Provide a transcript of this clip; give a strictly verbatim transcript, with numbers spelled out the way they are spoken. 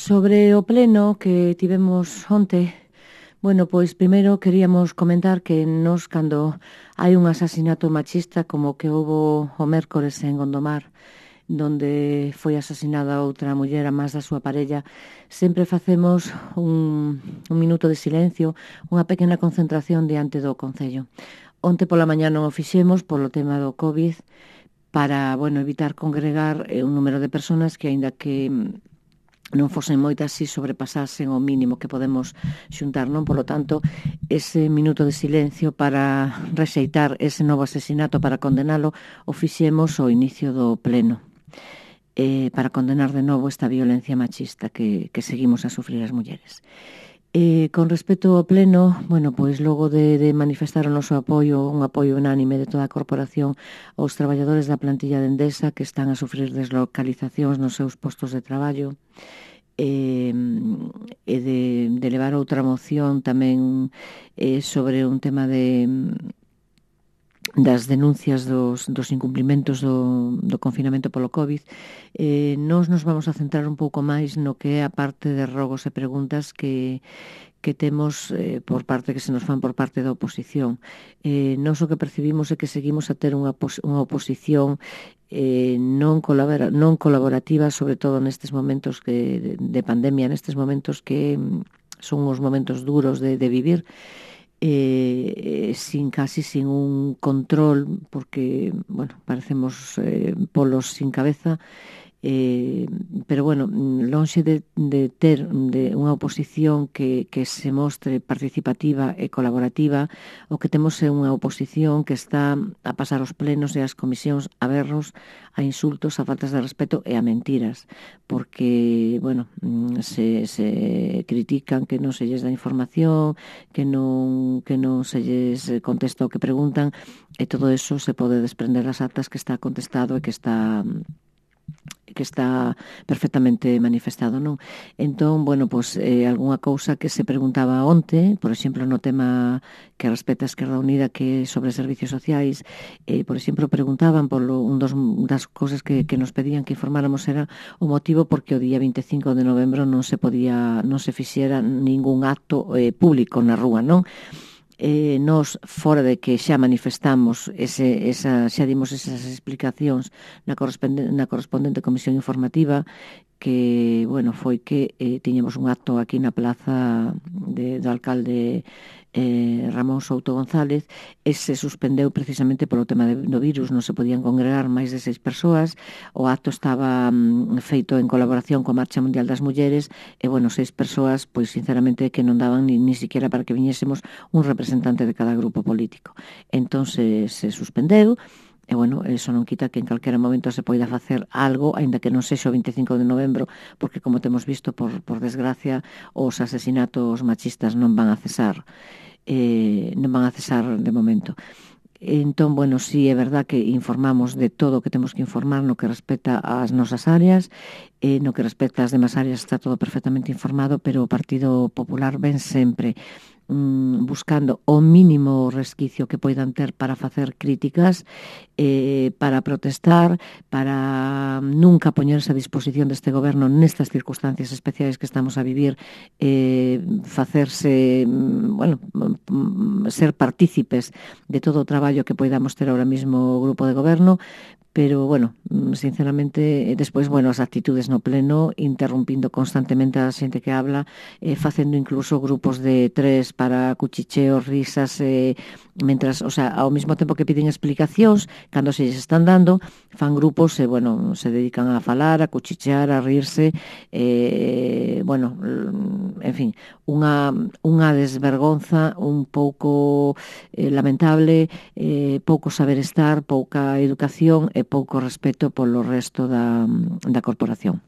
Sobre o pleno que tivemos onte, bueno, pois primeiro queríamos comentar que nos cando hai un asasinato machista como que houbo o mércores en Gondomar, donde foi asesinada outra muller a máis da súa parella, sempre facemos un, un minuto de silencio, unha pequena concentración diante do Concello. Onte pola mañá non o fixemos polo tema do COVID para, bueno, evitar congregar eh, un número de personas que, aínda que non fosen moitas, si sobrepasasen o mínimo que podemos xuntar, non? Polo tanto, ese minuto de silencio para rexeitar ese novo asesinato, para condenalo, o fixemos ao inicio do pleno, eh, para condenar de novo esta violencia machista que, que seguimos a sufrir as mulleres. Eh, con respecto ao pleno, bueno, pois logo de, de manifestar o noso apoio, un apoio unánime de toda a corporación aos traballadores da plantilla de Endesa que están a sufrir deslocalizacións nos seus postos de traballo, e, e de, de levar outra moción tamén eh, sobre un tema de das denuncias dos, dos incumplimentos do, do confinamento polo COVID, eh, nós nos vamos a centrar un pouco máis no que é a parte de rogos e preguntas que que temos eh, por parte que se nos fan por parte da oposición. Eh, nós o que percibimos é que seguimos a ter unha, unha oposición eh, non, colabora, non colaborativa, sobre todo nestes momentos que, de, de pandemia, nestes momentos que son os momentos duros de, de vivir, eh, sin casi sin un control, porque, bueno, parecemos eh, polos sin cabeza, Eh, pero bueno, lonxe de, de ter de unha oposición que, que se mostre participativa e colaborativa, o que temos é unha oposición que está a pasar os plenos e as comisións a berros, a insultos, a faltas de respeto e a mentiras, porque, bueno, se, se critican que non se lles dá información, que non, que non se lles contesta o que preguntan, e todo eso se pode desprender das actas que está contestado e que está que está perfectamente manifestado, non? Entón, bueno, pois eh, algunha cousa que se preguntaba onte, por exemplo, no tema que respecta a Esquerda Unida, que é sobre servicios sociais, eh, por exemplo, preguntaban polo un dos das cousas que, que nos pedían que informáramos era o motivo porque o día vinte e cinco de novembro non se podía, non se fixera ningún acto eh, público na rúa, non? Eh, nos, fora de que xa manifestamos ese, esa, xa dimos esas explicacións na correspondente, na correspondente comisión informativa, que, bueno, foi que eh, tiñamos un acto aquí na plaza de, do alcalde eh, Ramón Souto González, e se suspendeu precisamente polo tema de, do virus, non se podían congregar máis de seis persoas, o acto estaba mm, feito en colaboración coa Marcha Mundial das Mulleres, e, bueno, seis persoas, pois, sinceramente, que non daban ni, ni siquiera para que viñésemos un representante de cada grupo político. Entón, se, se suspendeu, e, bueno, eso non quita que en calquera momento se poida facer algo, aínda que non sexa o vinte e cinco de novembro, porque, como temos visto, por, por desgracia, os asesinatos machistas non van a cesar, eh, non van a cesar de momento. Entón, bueno, sí, é verdad que informamos de todo o que temos que informar no que respecta ás nosas áreas, eh, no que respecta ás demais áreas está todo perfectamente informado, pero o Partido Popular ven sempre buscando o mínimo resquicio que poidan ter para facer críticas, eh, para protestar, para nunca poñerse a disposición deste goberno nestas circunstancias especiais que estamos a vivir, eh, facerse, bueno, ser partícipes de todo o traballo que poidamos ter ahora mismo o grupo de goberno, pero, bueno, sinceramente, despois, bueno, as actitudes no pleno, interrumpindo constantemente a xente que habla, eh, facendo incluso grupos de tres para cuchicheos, risas, eh, mentras, o sea, ao mesmo tempo que piden explicacións, cando se lles están dando, fan grupos e, bueno, se dedican a falar, a cuchichear, a rirse, eh, bueno, en fin, unha, unha desvergonza un pouco eh, lamentable, eh, pouco saber estar, pouca educación e pouco respeto polo resto da, da corporación.